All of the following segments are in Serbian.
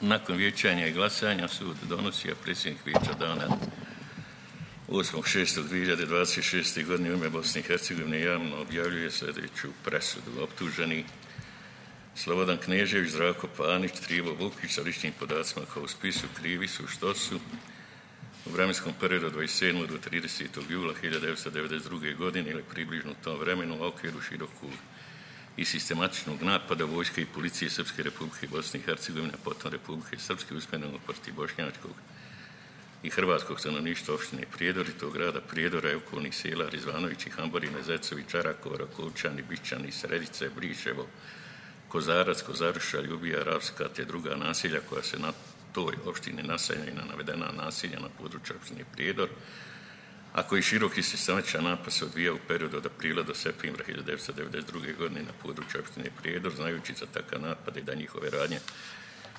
Nakon vijećanja i glasanja sud donosi, a predsjednik vijeća dana 8.6.2026. godine u ime Bosne i Hercegovine javno objavljuje sljedeću presudu. Optuženi Slobodan Knežević, Zdravko Panić, Trivo Vukić sa ličnim podacima kao u spisu krivi su što su u vremenskom periodu od 27. do 30. jula 1992. godine ili približno u tom vremenu u okviru širokog i sistematičnog napada vojske i policije Srpske Republike Bosne i Hercegovine, a potom Republike Srpske usmjerenog protiv bošnjačkog i hrvatskog stanovništva opštine Prijedor i tog grada Prijedora i okolnih sela Rizvanovići, Hamborine, Zecovi, Čarakova, Rakovčani, Bišćani, Sredice, Briševo, Kozarac, Kozaruša, Ljubija, Ravska te druga naselja koja se na toj opštini naseljaju na navedena naselja na području opštine Prijedor, a koji široki sistematičan napad se odvija u periodu od aprila do septembra 1992. godine na području opštine Prijedor, znajući za takav napad i da njihove radnje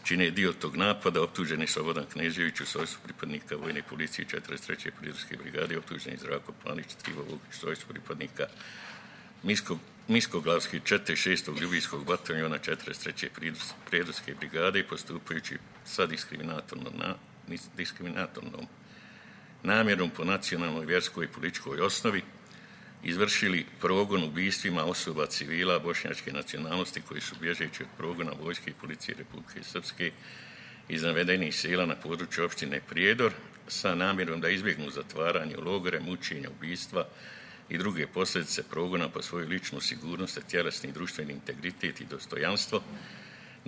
čine dio tog napada. Optuženi Slobodan Knežević u svojstvu pripadnika vojne policije 43. Pridorske brigade, optuženi Zdravko Panić, Trivo Vukić u svojstvu pripadnika Miskoglavske 4. Ljubijskog bataljona 43. Pridorske brigade, postupajući sa diskriminatornom namjerom po nacionalnoj, vjerskoj i političkoj osnovi izvršili progon ubistvima osoba civila bošnjačke nacionalnosti koji su bježeći od progona vojske i policije Republike Srpske iz navedenih sela na području opštine Prijedor sa namjerom da izbjegnu zatvaranje u logore, mučenja, ubistva i druge posljedice progona po svoju ličnu sigurnost, tjelesni i društveni integritet i dostojanstvo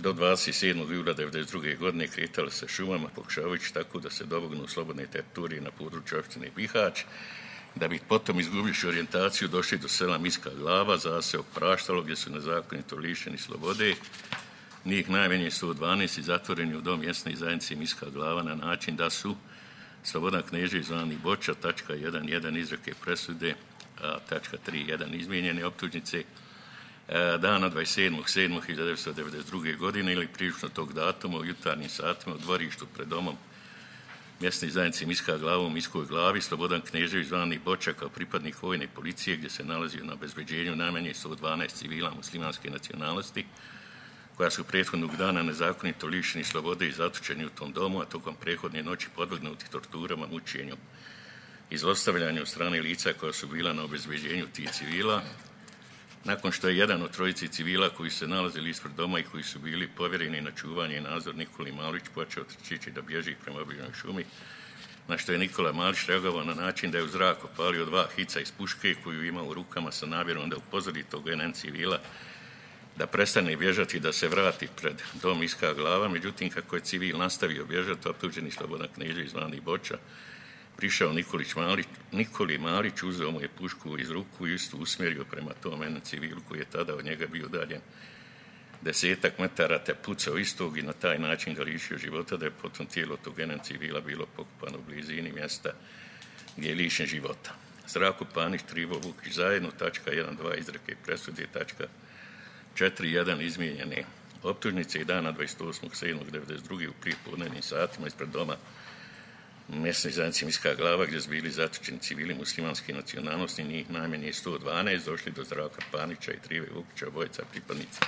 do 27. jula 1992. godine kretali se šumama pokušavajući tako da se domognu slobodne teritorije na području opštine Bihać, da bi potom izgubivši orijentaciju došli do sela Miska Glava, zaseok Praštalo, gdje su nezakonito lišeni slobode, njih najmanje 112 i zatvoreni u dom mjesne zajednice Miska Glava na način da su Slobodan Knežević zvani Boča, tačka 1.1 izreke presude, a tačka 3.1 izmijenjene optužnice, dana 27.7.1992. godine ili prilično tog datuma u jutarnjim satima u dvorištu pred domom mjesne zajednice Miska Glava u Miskoj Glavi, Slobodan Knežević zvani Boča kao pripadnik vojne policije gdje se nalazio na obezbeđenju najmanje 112 civila muslimanske nacionalnosti koja su prethodnog dana nezakonito lišeni slobode i zatočeni u tom domu, a tokom prethodne noći podvrgnuti torturama, mučenju i zlostavljanju od strane lica koja su bila na obezbeđenju tih civila. Nakon što je jedan od trojici civila koji se nalazili ispred doma i koji su bili povjereni na čuvanje i nadzor Nikoli Malić počeo trčeći da bježi prema obližnjoj šumi, na što je Nikola Malić reagovao na način da je u zrak opalio 2 hica iz puške koju ima u rukama sa namjerom da upozori tog jedan civila da prestane bježati, da se vrati pred dom Miska Glava. Međutim, kako je civil nastavio bježati, optuženi Slobodan Knežević zvani Boča prišao Nikoli Malić, uzeo mu je pušku iz ruku i istu usmjerio prema tom jednom civilu koji je tada od njega bio udaljen 10 metara, te pucao istog i na taj način ga lišio života, da je potom tijelo tog jednog civila bilo pokopano u blizini mjesta gdje je lišen života. Zdravko Panić, Trivo Vukić zajedno, tačka 1.2 izreke presude, tačka 4.1 izmijenjene optužnice i dana 28.7.1992. u prijepodnevnim satima ispred doma mjesne zajednice Miska Glava gdje su bili zatočeni civili muslimanske nacionalnosti, njih najmanje 112, došli do Zdravka Panića i Trive Vukića, obojica pripadnica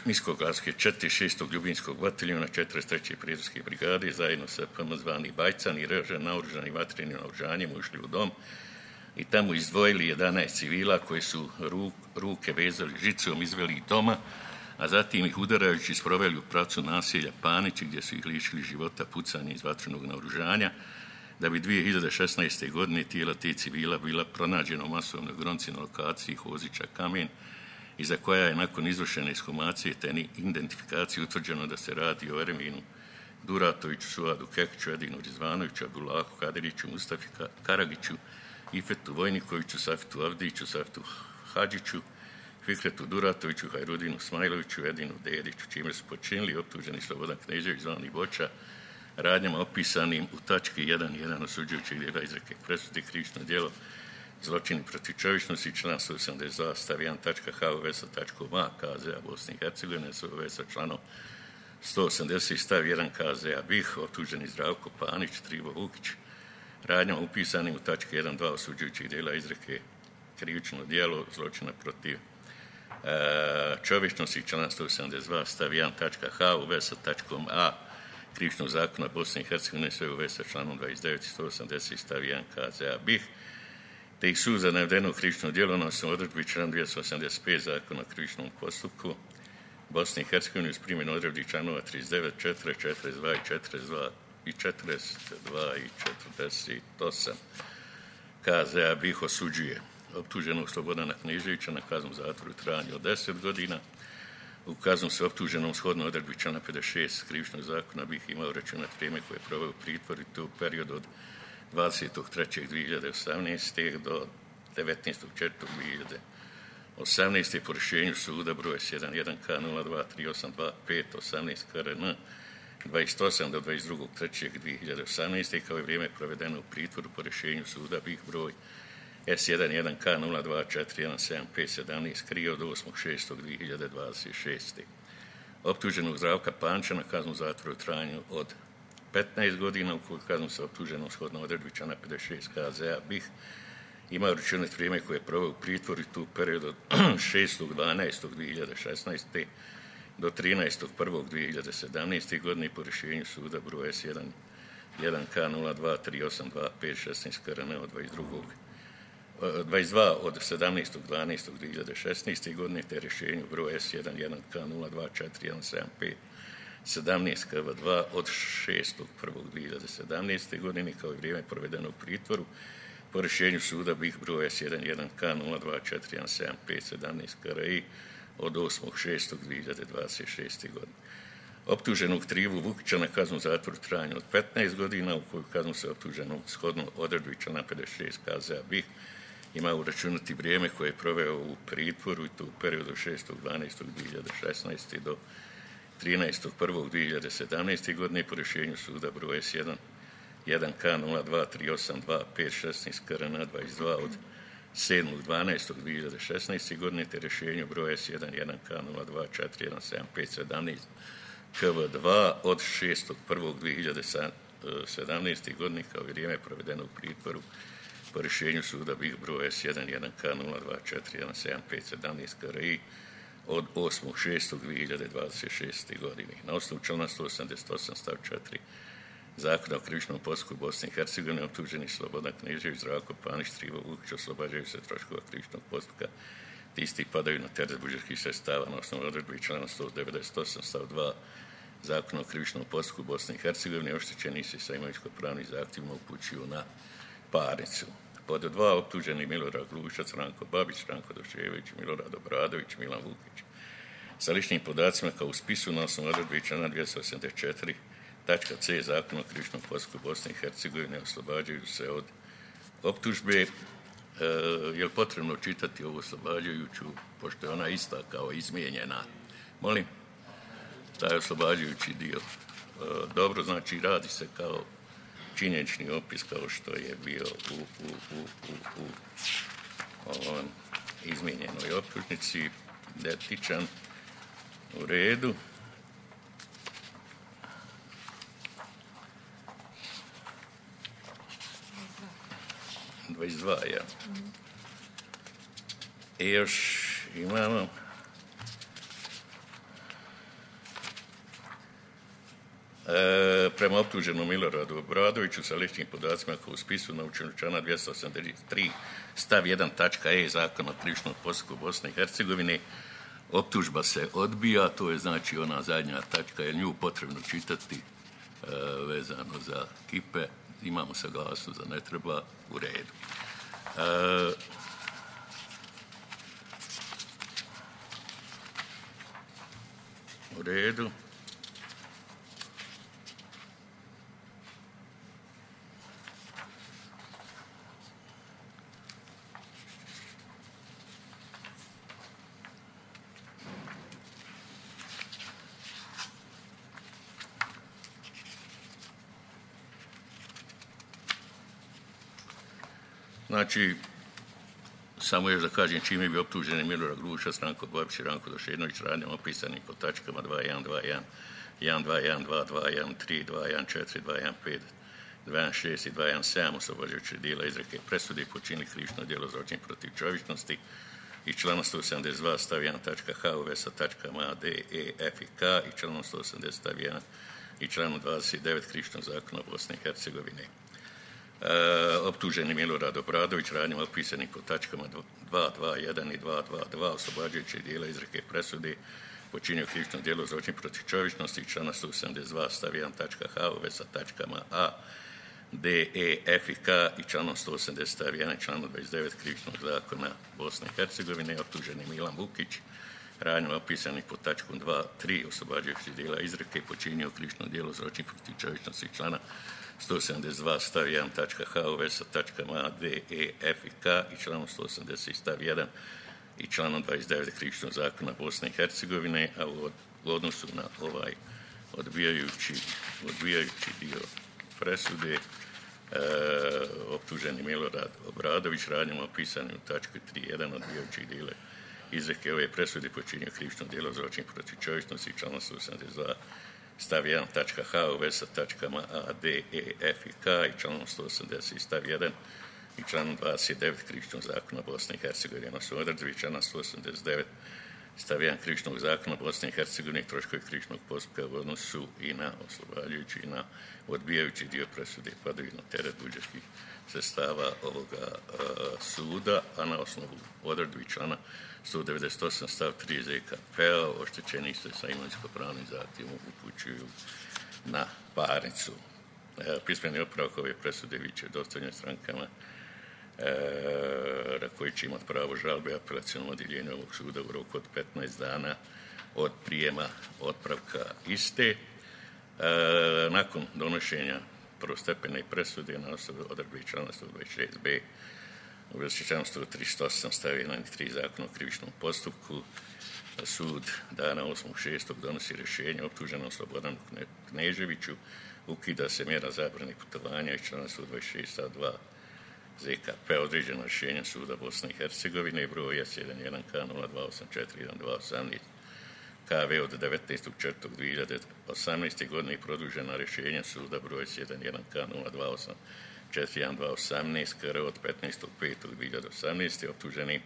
Miskoglavske 4. Ljubinskog bataljona 43. Pridorske brigade zajedno sa PM zvani Bajcan i naoružani vatrenim naoružanjem ušli u dom i tamo izdvojili 11 civila koji su ruke vezali žicom, izveli ih doma, a zatim ih udarajući sproveli u pravcu naselja Panići gdje su ih lišili života pucanje iz vatrenog naoružanja, da bi 2016. godine tijela tih civila bila pronađena u masovnoj gromci na lokaciji Hozića Kamen i za koja je nakon izvršene ekshumacije te identifikacije utvrđeno da se radi o Erminu Duratoviću, Suadu Kekiću, Edinu Rizvanoviću, Abdulahu Kadiriću, Mustafi Karagiću, Ifetu Vojnikoviću, Safitu Avdiću, Safitu Hadžiću, Fikretu Duratoviću, Hajrudinu Smajloviću, Edinu Dediću, čime su počinili optuženi Slobodan Knežević zvani Boča radnjama opisanim u tački 1.1 osuđujućeg dijela izreke presude krivično djelo zločini protiv čovječnosti, član 182 stav 1 tačka H u vezi sa tačkom A KZ-a Bosne i Hercegovine, u vezi sa članom 180 stav 1 KZ-a BiH, optuženi Zdravko Panić, Trivo Vukić, radnjama upisanim u tački 1.2 osuđujućeg dijela izreke krivično djelo zločina protiv čovječnosti, članak 172 stav 1 tačka H u vezi sa tačkom A Krivičnog zakona Bosne i Hercegovine, sve u vezi sa članom 29 i 180 stav 1 KZ-a BiH, te ih sud za navedeno krivično djelo na osnovu odredbi član 285 zakona o krivičnom postupku Bosne i Hercegovine uz primjenu odredbi članova 39, 4, 42 i 42 i 48 KZ-a BiH osuđuje optuženog Slobodana Kneževića na kaznu zatvora u trajanju od 10 godina. U kaznu se optuženom shodno odredbi člana 56 krivičnog zakona BiH imao računat vrijeme koje je proveo u pritvoru i to u periodu od 23.2018. do 19.4.2018. po rješenju suda broj S11K0238258 KRN 28 do 22.3.2018. kao i vrijeme provedeno u pritvoru po rješenju suda BiH broj S11K02417517 krije od 8.6.2026. Optuženog Zdravka Panča na kaznu zatvora u trajanju od 15 godina, u koju kaznu se optuženom shodno odredbi člana 56 KZ-a BiH ima računat vrijeme koje je proveo u pritvoru i tu u periodu od 6.12.2016. do 13.1.2017. godine po rješenju suda broj S11K02382516 KRN od 22 od 17.12.2016. godine te rješenju broj S11K02417517 KV2 od 6.1.2017. godine kao i vrijeme provedeno u pritvoru po rješenju suda BiH broj S11K02417517 KRI od 8.6.2026. godine. Optuženog Trivu Vukića na kaznu zatvora u trajanju od 15 godina, u koju kaznu se optuženog shodno odredbi člana 56 KZ-a BiH ima uračunati vrijeme koje je proveo u pritvoru i to u periodu 6.12.2016. do 13.1.2017. godine po rješenju suda broj S11K02382516 KRN 22 od 7.12.2016. godine te rješenju broj S11K02417517 KV2 od 6.1.2017. godine kao i vrijeme provedeno u pritvoru po rješenju suda BiH broj S11K02417517 KRI od 8.6.2026. godine. Na osnovu člana 188 stav 4 Zakona o krivičnom postupku Bosne i Hercegovine optuženi Slobodan Knežević, Zdravko Panić, Trivo Vukić oslobađaju se troškova krivičnog postupka te isti padaju na teret budžetskih sredstava na osnovu odredbe člana 198 stav 2 Zakona o krivičnom postupku Bosne i Hercegovine oštećeni se sa imovinsko-pravnim zahtjevima upućuju na parnicu. Pod 2 optuženi Milorad Glušac, Ranko Babić, Ranko Došević, Milorad Obradović, Milan Vukić. Sa ličnim podacima kao u spisu na osnovu odredbe člana 284 tačka C Zakona o krivičnom postupku Bosne i Hercegovine oslobađaju se od optužbe. Je li potrebno čitati ovu oslobađajuću, pošto je ona ista kao izmijenjena? Molim? Taj oslobađajući dio. Dobro, znači radi se kao činjenični opis kao što je bio u izmijenjenoj optužnici, identičan, u redu. Mm-hmm. 22, ja. I još imamo prema optuženom Miloradu Obradoviću sa ličnim podacima kao u spisu na člana 283 stav 1 tačka E Zakona o krivičnom postupku Bosne i Hercegovine optužba se odbija, to je znači ona zadnja tačka, je nju potrebno čitati vezano za kipe, imamo saglasnost da ne treba, u redu. U redu. Znači, samo još da kažem čime bi optuženi Milorad Glušac, Ranko Babić i Ranko Došenović radnjama opisanim po tačkama 2.1.2.1, 1.2.1, 2.2.1, 3, 2.1.4, 2.1.5, 2.1.6 i 2.1.7 oslobađajući dijela izreke presude i počinili krivično djelo zločin protiv čovječnosti i člana 172 stav 1 tačka H u vezi sa tačkama A, D, E, F i K i članom 180 stav 1 i članom 29 Krivičnog zakona Bosne i Hercegovine. Optuženi Milorad Obradović radnjama opisanih po tačkama 221 i 222 oslobađajućeg dijela izreke presude počinio krivično djelo zločin protiv čovječnosti i člana 172 stav 1 tačka H u vezi sa tačkama A, D, E, F i K i članom 180 stav 1 i članom 29 Krivičnog zakona Bosne i Hercegovine. Optuženi Milan Vukić radnjama opisanih po tačkom 2.3 oslobađajućeg dijela izreke počinio krivično djelo zločin protiv čovječnosti i člana 172 stav 1 tačka H u vezi sa tačkama A, D, E, F i K i članom 180 stav 1 i članom 29 Krivičnog zakona Bosne i Hercegovine, a u odnosu na ovaj odbijajući dio presude optuženi Milorad Obradović radnjama opisanim u tački 3.1 odbijajućeg dijela izreke ove presude počinio krivično djelo zločin protiv čovječnosti i članom 172 stav 1 tačka H u vezi sa tačkama A, D, E, F i K i članom 180 stav 1 i članom 29 Krivičnog zakona Bosne i Hercegovine. Na su odredbi člana 189 stav 1 Krivičnog zakona Bosne i Hercegovine troškovi krivičnog postupka u odnosu i na oslobađajući i na odbijajući dio presude padaju na teret budžetskih sredstava ovoga suda, a na osnovu odredbi člana 198 stav 3 ZKP-a oštećeni se sa imovinsko-pravnim zahtjevom upućuju na parnicu. Pismeni opravak ove presude biće dostavljen strankama koji će imati pravo žalbe apelacionom odjeljenju ovog suda u roku od 15 dana od prijema otpravka iste. Nakon donošenja prvostepene presude na osnovu odredbi člana 126b u vezi člana 138 stav 1 i 3 Zakona o krivičnom postupku sud dana 8.6. donosi rješenje optuženom Slobodanu Kneževiću, ukida se mjera zabrane putovanja iz člana 126 stav 2 ZKP određeno rješenjem suda Bosne i Hercegovine broj S11K02841218 KV od 19.4.2018. godine i produženo rješenjem suda broj S11K02841218 KR od 15.5.2018. optuženi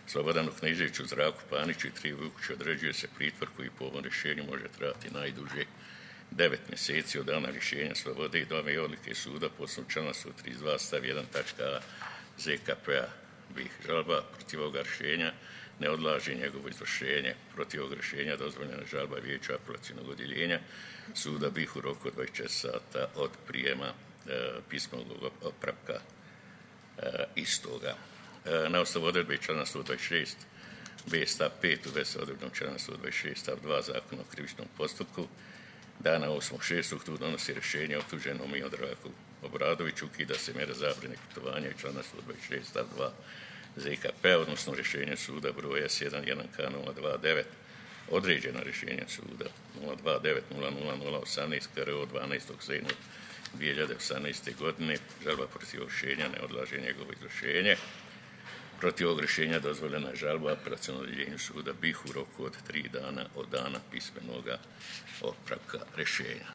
Slobodanu Kneževiću, Zdravku Paniću i Triju Vukiću određuje se pritvor koji po ovom rješenju može trajati najduže 9 mjeseci od dana rješenja slobode i dome i odlike suda po osnovu člana 132 stav 1 tačka A ZKP-a BiH. Žalba protiv ovoga rješenja ne odlaže njegovo izvršenje. Protiv ovog rješenja dozvoljena žalba vijeća apelacionog odjeljenja suda BiH u roku od 24 sata od prijema pismenog opravka istoga. Na osnovu odredbe člana 126 B stav 5 u vezi sa odredbom člana 126 stav 2 Zakona o krivičnom postupku dana 8.6. tu donosi rješenje optuženom Miloradu Obradoviću, ukida se mjera zabrane putovanja i člana 126 stav 2 ZKP, odnosno rješenje suda broja S11K029 određena rješenja suda 0290018 KR od 12.7.2018. godine. Žalba protiv rješenja ne odlaže njegovo izvršenje. Protiv ovog rješenja dozvoljena je žalba apelacionom odjeljenju suda BiH u roku od 3 dana od dana pismenoga otpravka rješenja.